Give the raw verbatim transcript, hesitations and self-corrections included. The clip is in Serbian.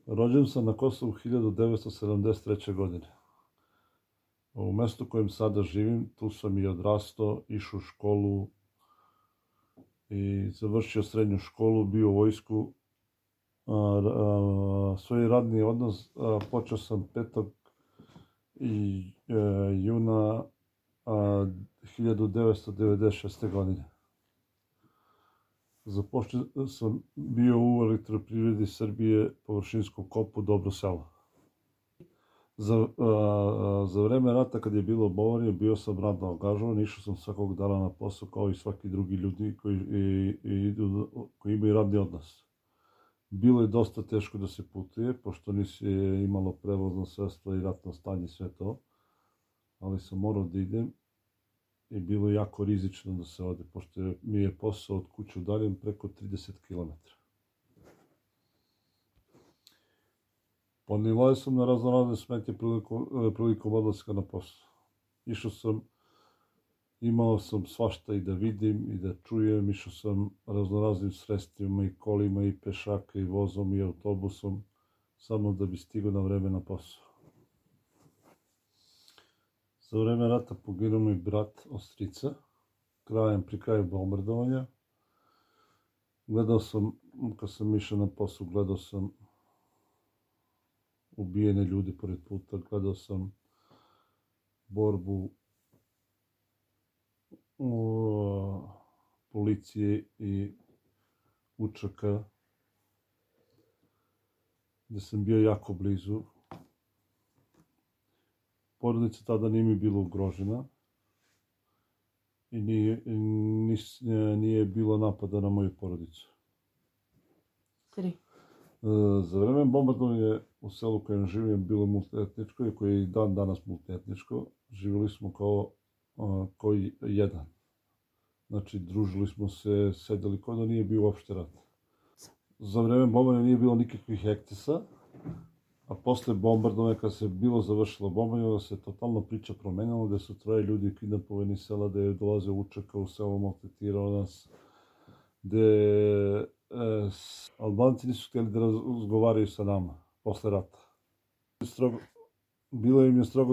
Rođen sam na Kosovu hiljadu devetsto sedamdeset treće. godine. U mestu u kojem sada živim, tu sam i odrastao, išao u školu i završio srednju školu, bio u vojsku. A, a, svoj radni odnos a, počeo sam petog juna a, hiljadu devetsto devedeset šeste. godine. Započeo sam bio u Elektroprivredi Srbije, površinskom kopu Dobro selo. Za, a, za vreme rata, kad je bilo bombardovanje, bio sam radno angažovan, išao sam svakog dana na posao kao i svaki drugi ljudi koji, i, i, koji imaju radni odnos. Bilo je dosta teško da se putuje, pošto nisi imalo prevozno sredstvo i ratno stanje, sve to. Ali sam morao da idem i bilo je jako rizično da se ode, pošto mi je posao od kuće udaljen preko trideset kilometara. Ponilao sam na raznorazne smetnje prilikom, prilikom odlaska na posao. Išao sam, imao sam svašta i da vidim i da čujem, išao sam raznoraznim sredstvima i kolima i pešaka i vozom i autobusom, samo da bi stigao na vreme na posao. Za vreme rata poginuo mi brat od strica, krajem, pri kraju bombardovanja. Gledao sam, kad sam išao na posao, gledao sam ubijene ljudi pored puta, gledao sam borbu u policije i učaka, gde sam bio jako blizu. Porodica tada nije mi bila ugrožena i nije, nis, nije bilo napada na moju porodicu. Tri. Za vreme bombardovanja u selu u kojem živim bilo multietničko i koje je i dan danas multietničko. Živjeli smo kao, kao jedan. Znači, družili smo se, sedeli kao da nije bio uopšte rat. Za vreme bombardovanja nije bilo nikakvih ekscesa, a posle bombardovanja, kad se bilo završilo bombardovanje, se totalno priča promenila, gde su troje ljudi kidnapovani iz sela, gde je dolaze učaka u selo, maltretirao nas, gde e, Albanci nisu htjeli da razgovaraju sa nama posle rata. Strogo, bilo im je strogo